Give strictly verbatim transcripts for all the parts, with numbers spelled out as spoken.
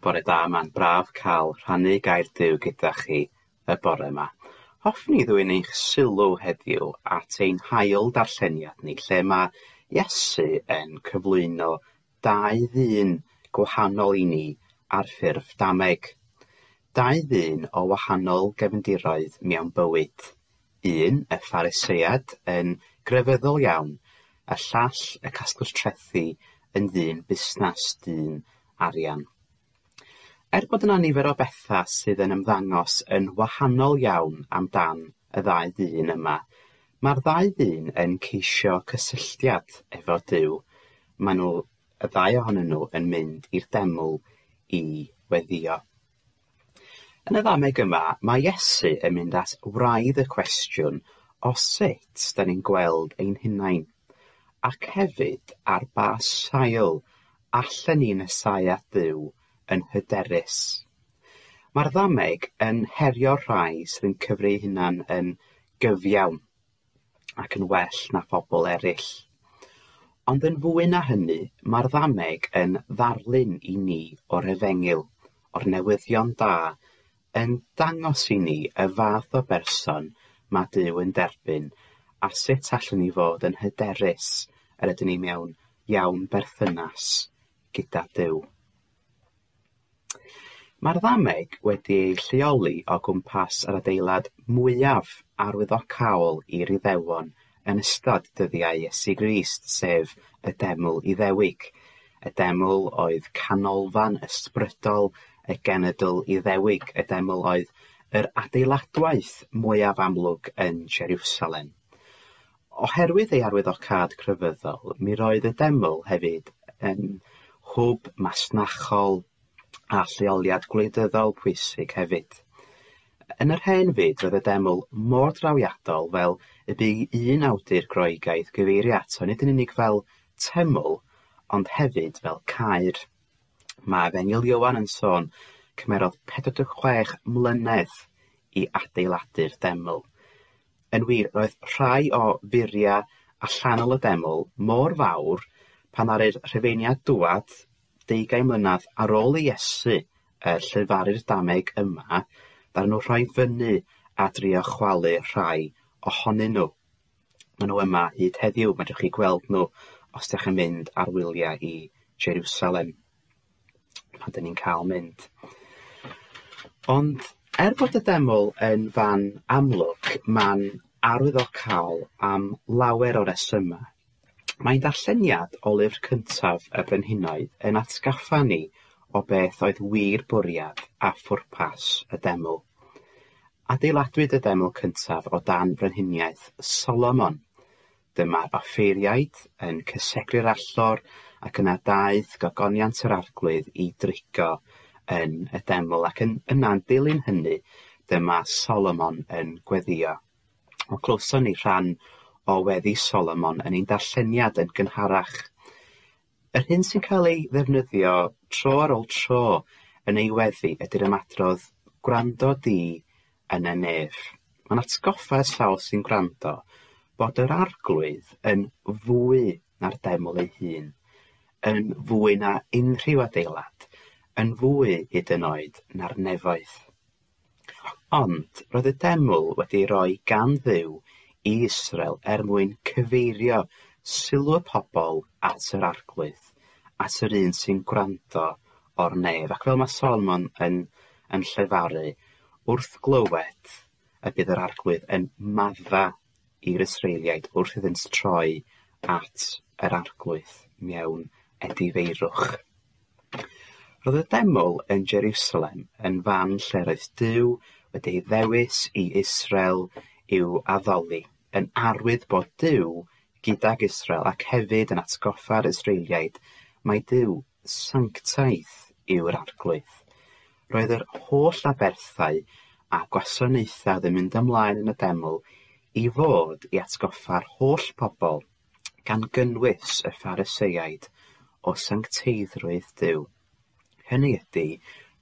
Bore da, mae'n braf cael rhannu gair Duw gyda chi y bore yma. Hoffwn i ddwyn eich sylw heddiw at ein hail darlleniad ni, lle mae Iesu yn cyflwyno dau ddyn gwahanol i ni ar ffurf dameg. Dau ddyn o wahanol gefndiroedd mewn bywyd. Un, y Pharisead, yn grefyddol iawn, y llall, y casglwr trethi, yn ddyn busnes, dyn arian. Er bod yna nifer o bethau sydd yn ymddangos yn wahanol iawn amdan y ddau ddyn yma, mae'r ddau ddyn yn ceisio cysylltiad efo Duw. Maen nhw, y ddau ohonyn nhw, yn mynd i'r deml i weddïo. Yn y ddameg yma, mae Iesu yn mynd at wraidd y cwestiwn o sut da ni'n gweld ein hunain, ac hefyd ar ba sail allan ni nesáu at Dduw yn hyderus. Mae'r ddameg yn herio'r rhai sydd yn cyfri eu hunan yn gyfiawn ac yn well na phobl eraill. Ond yn fwy na hynny, mae'r ddameg yn ddarlun i ni o'r efengyl, o'r newyddion da, yn dangos i ni y fath o berson mae Duw yn derbyn a sut allwn ni fod yn hyderus yr ydyn ni mewn iawn berthynas gyda Duw. Mae'r ddameg wedi ei lleoli o gwmpas yr adeilad mwyaf arwyddocaol i'r Iddewon yn ystod dyddiau Iesu Grist, sef y Deml Iddewig. Y deml oedd canolfan ysbrydol y genedl Iddewig. Y deml oedd yr adeiladwaith mwyaf amlwg yn Jerusalem. Oherwydd ei arwyddocâd crefyddol, mi roedd y deml hefyd yn hwb masnachol a lleoliad gwleidyddol pwysig hefyd. Yn yr hen fyd, roedd y deml mor drawiadol fel y bu un awdur Groegaidd gyfeirio ato nid yn unig fel teml, ond hefyd fel caer. Mae Efengyl Ioan yn sôn cymerodd pedwar deg chwech mlynedd i adeiladu'r deml. Yn wir, roedd rhai o furiau allanol y deml mor fawr pan ddaru'r Rhufeiniaid dŵad deugain mlynedd ar ôl i Iesu y llefaru'r dameg yma, ddaru nhw rhoi fyny a drio chwalu rhai ohonyn nhw. Maen nhw yma hyd heddiw, medrwch chi gweld nhw os ydych chi'n mynd ar wyliau i Jerusalem, pan dyn ni'n cael mynd. Ond er bod y deml yn fan amlwg, mae'n arwyddocaol am lawer o resymau. Mae'n darlleniad o lyfr cyntaf y Brenhinoedd yn atgoffa ni o beth oedd wir bwriad a phwrpas y deml. Adeiladwyd y deml cyntaf o dan frenhiniaeth Solomon. Dyma'r offeiriaid yn cysegru'r allor ac yna daeth gogoniant yr Arglwydd i drigo yn y deml, ac yn, yna'n dilyn hynny dyma Solomon yn gweddïo. O clywson ni rhan o weddi Solomon yn ein darlleniad yn gynharach. Yr hyn sy'n cael ei ddefnyddio tro ar ôl tro yn ei weddi ydy'r ymadrodd gwrando di yn y nef. Mae'n atgoffa y sawl sy'n gwrando bod yr Arglwydd yn fwy na'r deml ei hun, yn fwy na unrhyw adeilad, yn fwy hyd yn oed na'r nefoedd. Ond roedd y deml wedi ei roi gan Dduw i Israel er mwyn cyfeirio sylw y pobl at yr Arglwydd, at yr un sy'n gwrando o'r nef. Ac fel mae Solomon yn, yn llefaru, wrth glywed y bydd yr Arglwydd yn madda i'r Israeliaid wrth iddynt troi at yr Arglwydd mewn edifeirwch. Roedd y deml yn Jerusalem yn fan lle roedd Duw wedi ei ddewis i Israel i'w addoli, yn arwydd bod Duw gydag Israel ac hefyd yn atgoffa'r Israeliaid mai Duw sanctaidd yw'r Arglwydd. Roedd yr holl aberthau a gwasanaethau oedd yn mynd ymlaen yn y deml i fod i atgoffa'r holl pobl, gan gynnwys y Phariseaid, o sancteiddrwydd Duw. Hynny ydy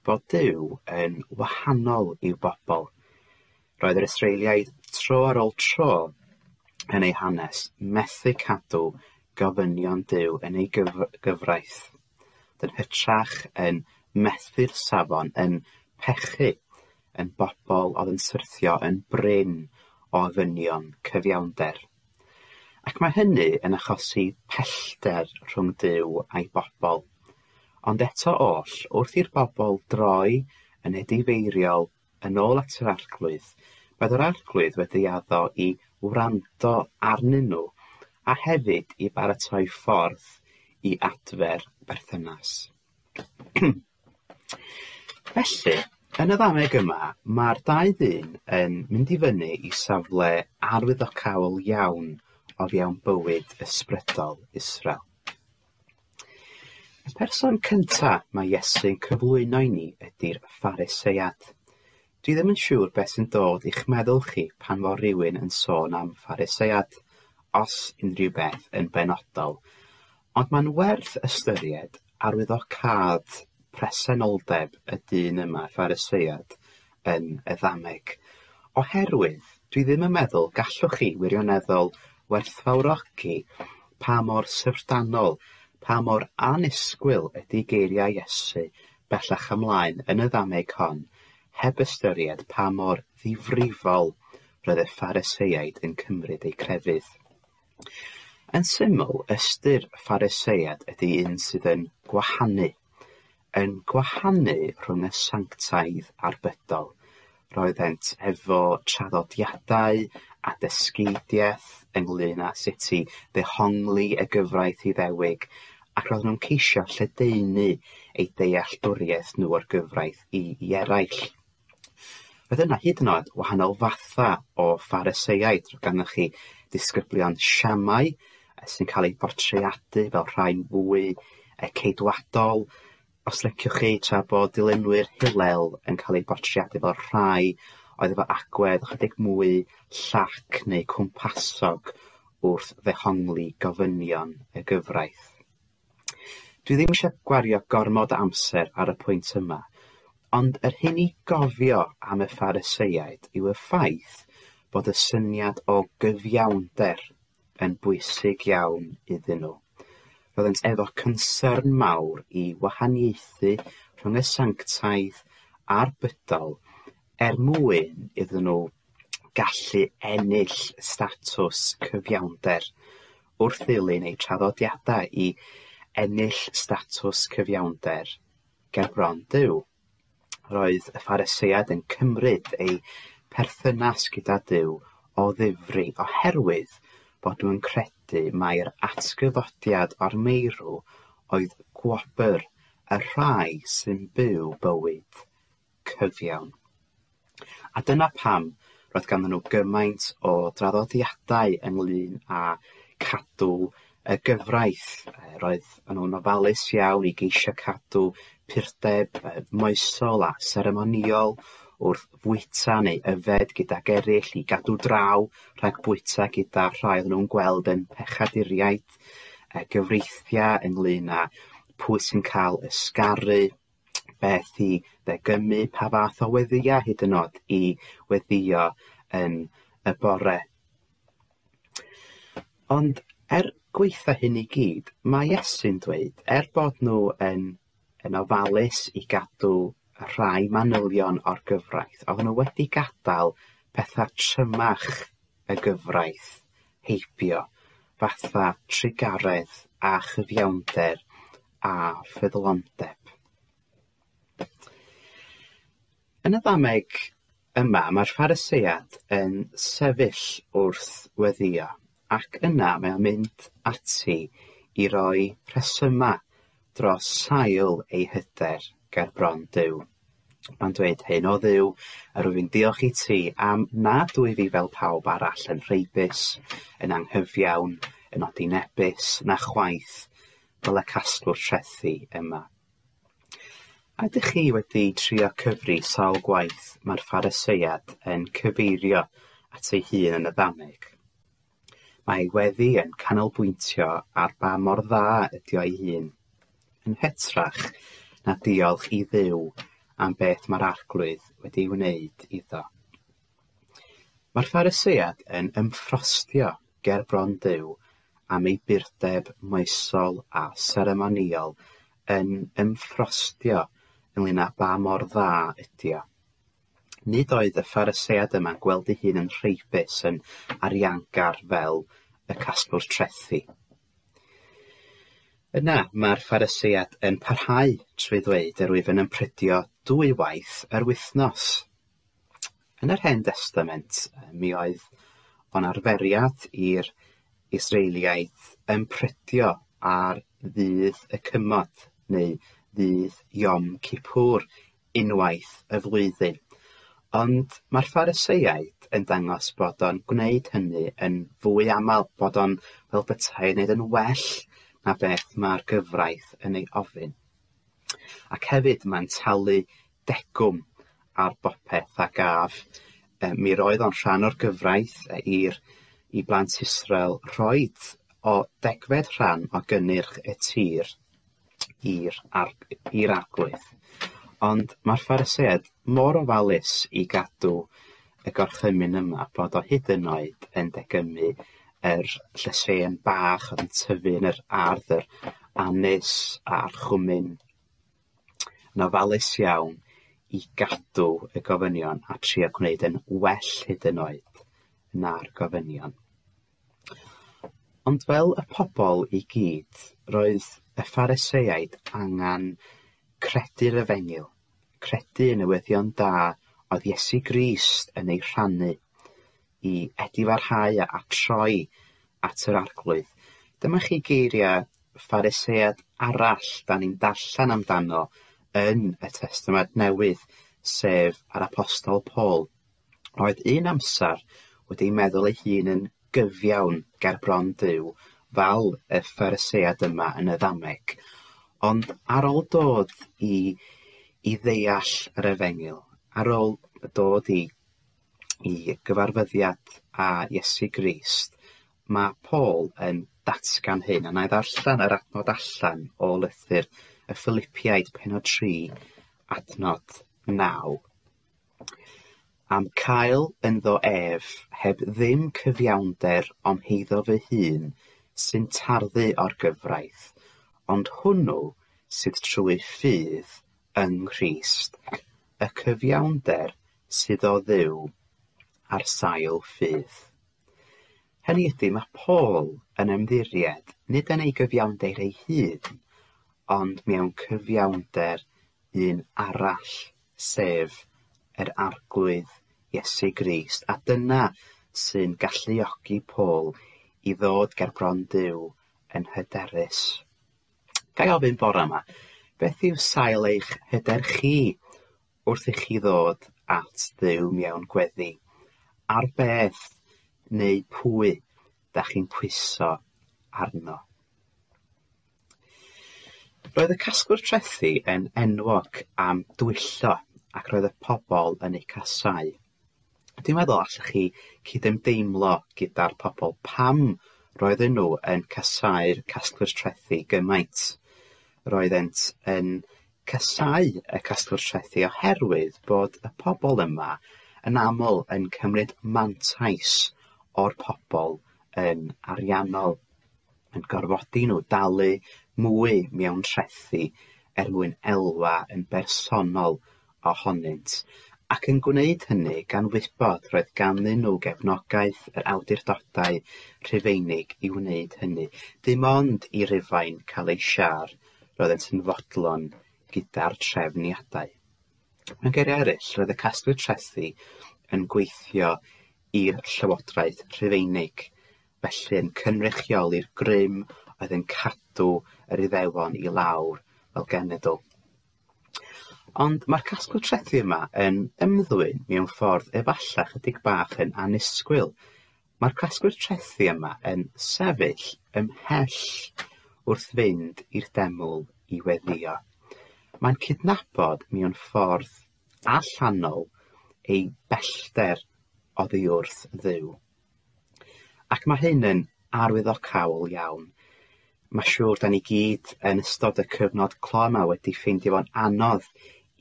bod Duw yn wahanol i'w bobl. Roedd yr Israeliaid tro ar ôl tro yn eu hanes methu cadw gofynion Duw yn ei gyf- gyfraith. Yn hytrach yn methu'r safon, yn pechu, yn bobl oedd yn syrthio yn brin o ofynion cyfiawnder. Ac mae hynny yn achosi pellter rhwng Duw a'i bobl. Ond eto oll, wrth i'r bobl droi yn edifeiriol yn ôl at yr Arglwydd, roedd yr Arglwydd wedi addo i wrando arnyn nhw a hefyd i baratoi ffordd i adfer berthynas. Felly, yn y ddameg yma, mae'r dau ddyn yn mynd i fyny i safle arwyddocaol iawn o fewn bywyd ysbrydol Israel. Y person cynta mae Iesu'n cyflwyno i ni ydy'r Pharisead. Dwi ddim yn siŵr beth sy'n dod i'ch meddwl chi pan fo rhywun yn sôn am Pharisead, os unrhyw beth yn benodol, ond mae'n werth ystyried arwyddocâd presenoldeb y dyn yma, Pharisead, yn y ddameg. Oherwydd dwi ddim yn meddwl gallwch chi wirioneddol werthfawrogi pa mor syfrdanol, pa mor annisgwyl ydy geiriau Iesu bellach ymlaen yn y ddameg hon, heb ystyried pa mor ddifrifol roedd y Phariseaid yn cymryd eu crefydd. Yn syml, ystyr Pharisead ydy un sydd yn gwahanu, yn gwahanu rhwng y sanctaidd a'r bydol. Roeddent efo traddodiadau a dysgeidiaeth ynglyn â sut i ddehongli y gyfraith Iddewig, ac roedden nhw'n ceisio lledaenu eu dealltwriaeth nhw o'r gyfraith i, i eraill. Roedd yna hyd yn oed wahanol fatha o Phariseaid. Roedd ganddoch chi disgyblion Siamau sy'n cael eu portreadu fel rhai fwy ceidwadol, os liciwch chi, tra bod dilynwyr Hillel yn cael eu portreadu fel rhai oedd efo agwedd ychydig mwy llac neu cwmpasog wrth ddehongli gofynion y gyfraith. Dwi ddim eisiau gwario gormod o amser ar y pwynt yma, ond yr hyn i gofio am y Phariseaid yw y ffaith bod y syniad o gyfiawnder yn bwysig iawn iddyn nhw. Roeddent efo concern mawr i wahaniaethu rhwng y sanctaidd a'r bydol er mwyn iddyn nhw gallu ennill statws cyfiawnder wrth ddilyn eu traddodiadau i ennill statws cyfiawnder ger bron Duw. Roedd y Phariseaid yn cymryd eu perthynas gyda Duw o ddifri oherwydd bod nhw'n credu mai'r atgyfodiad o'r meirw oedd gwobr y rhai sy'n byw bywyd cyfiawn. A dyna pam roedd ganddyn nhw gymaint o draddodiadau ynglyn â cadw y gyfraith. Roedd nhw'n ofalus iawn i geisio cadw purdeb moesol a seremonïol wrth fwyta neu yfed gydag eraill, i gadw draw rhag bwyta gyda rhai oedden nhw'n gweld yn pechaduriaid, gyfreithiau ynglyn â pwy sy'n cael ysgaru, beth i ddegymu, pa fath o weddïau hyd yn oed i weddïo yn y bore. Ond er gwaetha hyn i gyd, mae Iesu'n dweud, er bod nhw yn, yn ofalus i gadw rhai manylion o'r gyfraith, oedden nhw wedi gadael pethau trymach y gyfraith heibio, fatha trugaredd a chyfiawnder a ffyddlondeb. Yn y ddameg yma, mae'r Pharisead yn sefyll wrth weddïo, ac yna mae o'n mynd ati i roi rhesymau dros sail ei hyder ger bron Duw. Mae'n dweud hyn: o Dduw, yr wyf i'n diolch i ti am nad wyf fi fel pawb arall yn rheibus, yn anghyfiawn, yn odinebus, na chwaith fel y casglwr trethi yma. A ydych chi wedi trio cyfri sawl gwaith mae'r Pharisead yn cyfeirio at ei hun yn y ddameg? Mae ei weddi yn canolbwyntio ar ba mor dda ydi o'i hun, yn hytrach na diolch i Dduw am beth mae'r Arglwydd wedi'i wneud iddo. Mae'r Pharisead yn ymffrostio ger bron Duw am ei burdeb moesol a seremonïol, yn ymffrostio ynglyn â ba mor dda ydi o. Nid oedd y Pharisead yma'n gweld ei hun yn rheibus, yn ariangar fel y casglwr trethi. Yna mae'r Pharisead yn parhau trwy ddweud yr wyf yn ymprydio dwy waith yr wythnos. Yn yr Hen Destament, mi oedd o'n arferiad i'r Israeliaid ymprydio ar ddydd y cymod neu ddydd Yom Kippur unwaith y flwyddyn. Ond mae'r Phariseaid yn dangos bod o'n gwneud hynny yn fwy aml, bod o'n fel petai yn gwneud yn well na beth mae'r gyfraith yn ei ofyn. Ac hefyd mae'n talu degwm ar bopeth a gaf. Mi roedd o'n rhan o'r gyfraith i'r i blant Israel rhoid o degfed rhan o gynnyrch y tir i'r i'r arglwydd. Ond mae'r Phariseaid mor ofalus i gadw y gorchymyn yma bod o hyd yn oed yn degymu yr llysieuyn bach oedd yn tyfu yn yr ardd, yr anus a'r chwmin. Yn ofalus iawn i gadw y gofynion a trio gwneud yn well hyd yn oed na'r gofynion. Ond fel y pobl i gyd, roedd y Phariseaid angen credu'r efengyl, credu y newyddion da oedd Iesu Grist yn ei rhannu i edifarhau a troi at yr arglwydd. Dyma chi geiriau Pharisead arall da ni'n darllen amdano yn y Testament Newydd, sef yr Apostol Paul. Roedd un amser wedi meddwl ei hun yn gyfiawn ger bron Duw, fel y Pharisead yma yn y ddameg. Ond ar ôl dod i, i ddeall yr efengyl, ar ôl dod i, i gyfarfyddiad â Iesu Grist, mae Paul yn datgan hyn, a na i ddarllen yr adnod allan o lythyr y Philippiaid pennod tri, adnod naw. Am cael ynddo ef, heb ddim cyfiawnder o'm heiddo fy hun, sy'n tarddu o'r gyfraith, ond hwnnw sydd trwy ffydd yng Nghrist, y cyfiawnder sydd o Dduw ar sail ffydd. Hynny ydy, mae Paul yn ymddiried nid yn ei gyfiawnder ei hun, ond mewn cyfiawnder un arall, sef yr Arglwydd Iesu Grist. A dyna sy'n galluogi Paul i ddod ger bron Duw yn hyderus. Ga i ofyn bore yma, beth yw sail eich hyder chi wrth i chi ddod at Dduw mewn gweddi? Ar beth neu pwy da chi'n pwyso arno? Roedd y casglwr trethi yn enwog am dwyllo ac roedd y pobl yn eu casáu. Dwi'n meddwl allwch chi cydymdeimlo gyda'r pobl pam roedden nhw yn casáu'r casglwr trethi gymaint. Roeddent yn casáu y casglwr trethi oherwydd bod y pobl yma yn aml yn cymryd mantais o'r pobl yn ariannol, yn gorfodi nhw dalu mwy mewn trethi er mwyn elwa yn bersonol ohonynt, ac yn gwneud hynny gan wybod roedd ganddyn nhw gefnogaeth yr awdurdodau Rhufeinig i wneud hynny. Dim ond i Rufain cael ei siâr roeddent yn fodlon gyda'r trefniadau. Mewn geiriau eraill, roedd y casglwyr trethi yn gweithio i'r Llywodraeth Rhufeinig, felly yn cynrychioli'r grym oedd yn cadw yr Iddewon i lawr fel genedl. Ond mae'r casglwr trethi yma yn ymddwyn mewn ffordd efallai chydig bach yn annisgwyl. Mae'r casglwr trethi yma yn sefyll ymhell wrth fynd i'r deml i weddïo. Mae'n cydnabod mewn ffordd allanol ei bellter oddi wrth Dduw. Ac mae hyn yn arwyddocaol iawn. Mae siŵr da ni gyd yn ystod y cyfnod clo yma wedi ffeindio fo'n anodd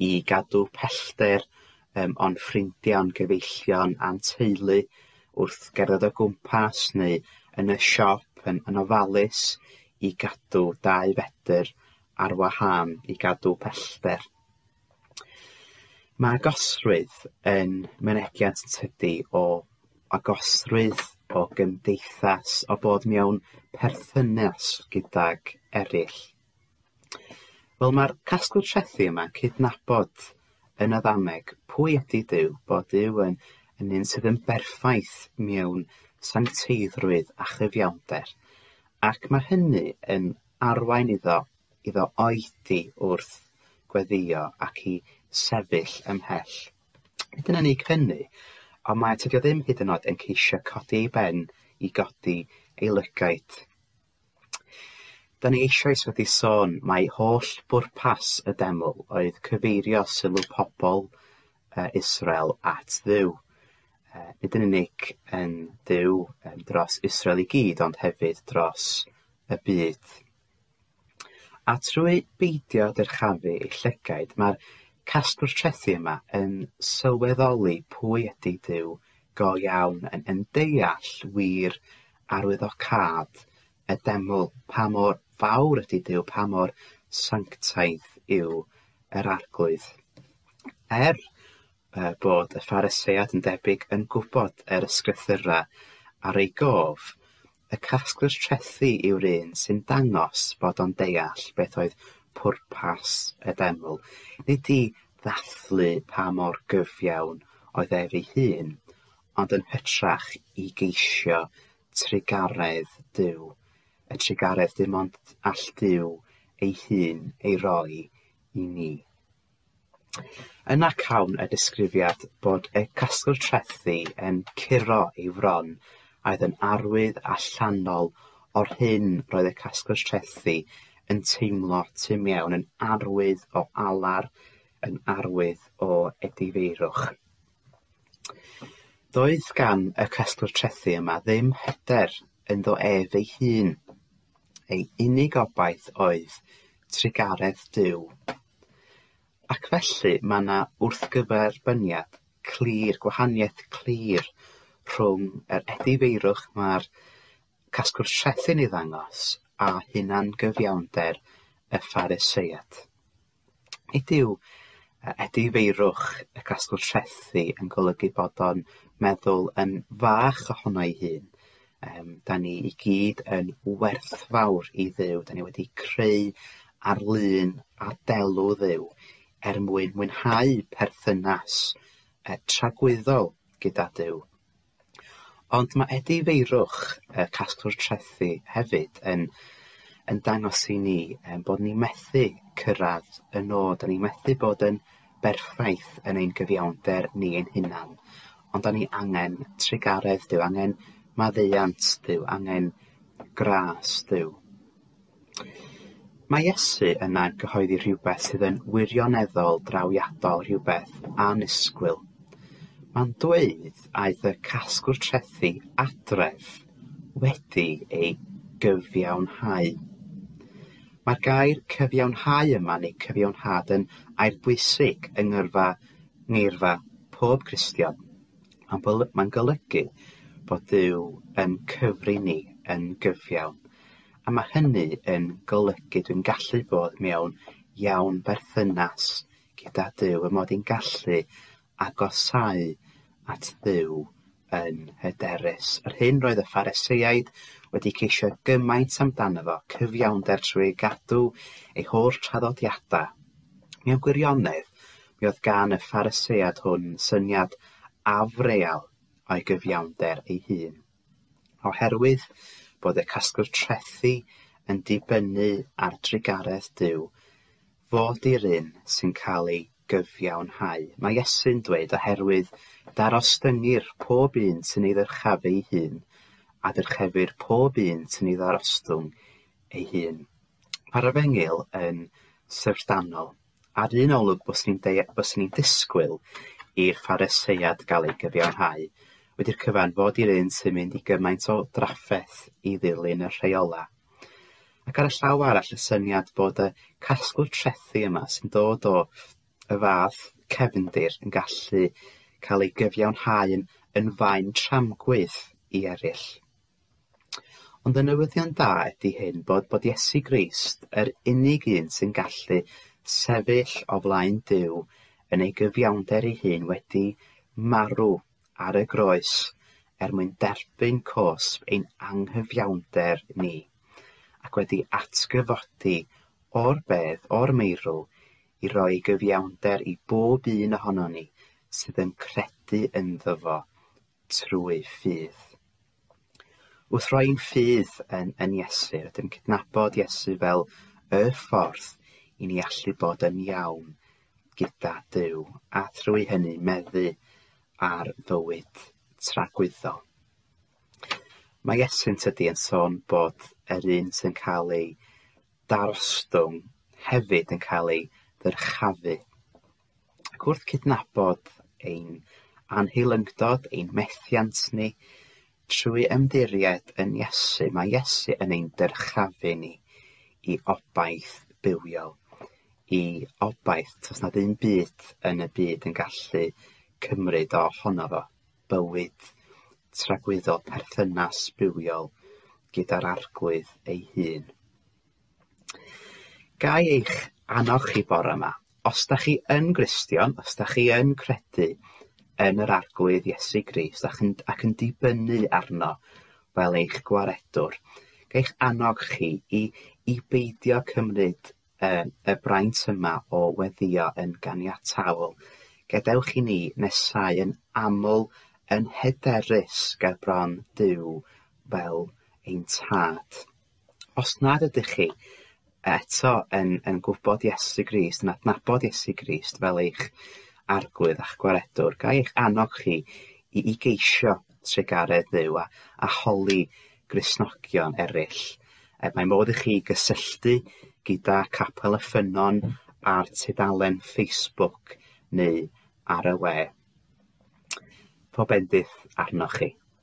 i gadw pellter um, o'n ffrindiau, o'n gyfeillion a'n teulu wrth gerdded o gwmpas neu yn y siop yn, yn ofalus i gadw dau fetr ar wahân, i gadw pellter. Mae agosrwydd yn mynegiant tydi o agosrwydd, o gymdeithas, o bod mewn perthynas gydag eraill. Wel, mae'r casglwr trethi yma'n cydnabod yn y ddameg pwy ydy Duw, bod Duw yn, yn un sydd yn berffaith mewn sancteiddrwydd a chyfiawnder, ac mae hynny yn arwain iddo, iddo oedi wrth gweddio ac i sefyll ymhell. Nid yn unig hynny, ond mae tydi o ddim hyd yn oed yn ceisio codi ei ben i godi ei lygaid. Da ni eisoes wedi sôn mai holl bwrpas y deml oedd cyfeirio sylw pobl Israel at Dduw. Nid yn unig yn Dduw dros Israel i gyd, ond hefyd dros y byd. A trwy beidio dyrchafu ei llygaid, mae'r casglwr trethi yma yn sylweddoli pwy ydy Duw go iawn, yn, yn deall wir arwyddocâd y deml, pa mor fawr ydy Duw, pa mor sanctaidd yw yr Arglwydd. Er uh, bod y Pharisead yn debyg yn gwybod yr ysgrythurau ar ei gof, y casglwr trethi yw'r un sy'n dangos bod o'n deall beth oedd pwrpas y deml. Nid i ddathlu pa mor gyfiawn oedd ef ei hun, ond yn hytrach i geisio trugaredd Duw. Y trugaredd dim ond all Duw ei hun ei roi i ni. Yna cawn y disgrifiad bod y casglwr trethi yn curo ei fron, a oedd yn arwydd allanol o'r hyn roedd y casglwr trethi yn teimlo tu mewn, yn arwydd o alar, yn arwydd o edifeirwch. Doedd gan y casglwr trethi yma ddim hyder ynddo ef ei hun. Ei unig obaith oedd trugaredd Duw. Ac felly mae yna wrthgyferbyniad clir, gwahaniaeth clir rhwng yr edifeirwch mae'r casglwr trethi'n ei ddangos a hunangyfiawnder y Pharisead. Nid yw edifeirwch y casglwr trethi yn golygu bod o'n meddwl yn fach ohono ei hun. Um, da ni i gyd yn werthfawr i Dduw. Da ni wedi creu ar lun a delw Dduw er mwyn mwynhau perthynas uh, tragwyddol gyda Duw. Ond mae edifeirwch y casglwr trethi hefyd yn, yn dangos i ni um, bod ni methu cyrraedd y nod, da ni methu bod yn berffaith yn ein gyfiawnder ni ein hunan, ond da ni angen trugaredd Duw, angen maddeuant Duw, angen gras Duw. Mae Iesu yna'n cyhoeddi rhywbeth sydd yn wirioneddol drawiadol, rhywbeth annisgwyl. Mae'n dweud aeth y casglwr trethi adref wedi ei gyfiawnhau. Mae'r gair cyfiawnhau yma neu cyfiawnhad yn air bwysig yng ngyrfa ngeirfa pob Cristion. Mae'n, mae'n golygu bod Duw yn cyfri ni yn gyfiawn. A mae hynny yn golygu dwi'n gallu bod mewn iawn berthynas gyda Duw, y mod i'n gallu agosáu at Dduw yn hyderus. Yr hyn roedd y Phariseaid wedi ceisio gymaint amdano fo, cyfiawnder trwy gadw ei holl traddodiadau. Mewn gwirionedd, mi oedd gan y Pharisead hwn syniad afreal o'i gyfiawnder ei hun. Oherwydd bod y casglwr trethi yn dibynnu ar drugaredd Duw, fod i'r un sy'n cael ei gyfiawnhau. Mae Iesu'n dweud oherwydd darostyngir pob un sy'n ei ddyrchafu ei hun, a dyrchefir pob un sy'n ei ddarostwng ei hun. Mae'r efengyl yn syfrdanol. Ar un olwg byswn ni'n disgwyl i'r Pharisead gael ei gyfiawnhau, wedi'r cyfan fod i'r un sy'n mynd i gymaint o drafferth i ddilyn y rheola. Ac ar y llaw arall y syniad bod y casglwr trethi yma sy'n dod o y fath cefndir yn gallu cael ei gyfiawnhau yn, yn faen tramgwydd i eraill. Ond y newyddion da ydy hyn, bod, bod Iesu Grist yr unig un sy'n gallu sefyll o flaen Duw yn ei gyfiawnder ei hun wedi marw ar y groes er mwyn derbyn cosb ein anghyfiawnder ni, ac wedi atgyfodi o'r bedd, o'r meirw, i roi gyfiawnder i bob un ohonon ni sydd yn credu ynddo fo trwy ffydd. Wrth roi'n ffydd yn, yn Iesu, rydym cydnabod Iesu fel y ffordd i ni allu bod yn iawn gyda Duw, a thrwy hynny meddu ar fywyd tragwyddol. Mae Iesu'n tydi yn sôn bod yr un sy'n cael ei darostwng hefyd yn cael ei ddyrchafu. Ac wrth cydnabod ein anheilyngdod, ein methiant ni, trwy ymddiried yn Iesu, mae Iesu yn ein dyrchafu ni i obaith bywiol, i obaith tos nad un byd yn y byd yn gallu cymryd ohono fo, bywyd tragwyddol, perthynas bywiol gyda'r Arglwydd ei hun. Ga i eich annog chi bore yma, os da chi yn Gristion, os da chi yn credu yn yr Arglwydd Iesu Grist ac yn, ac yn dibynnu arno fel eich gwaredwr, ga i'ch annog chi i, i beidio cymryd y, y braint yma o weddïo yn ganiataol. Gadewch i ni nesau yn aml yn hyderus ger bron Duw fel ein tad. Os nad ydych chi eto yn, yn gwybod Iesu Grist, yn adnabod Iesu Grist fel eich arglwydd a'ch gwaredwr, ga i eich annog chi i, i geisio trugaredd Dduw a, a holi Gristnogion eraill. E, mae modd i chi gysylltu gyda Capel y Ffynnon ar tudalen Facebook neu ar y we. Pob bendith arnoch chi.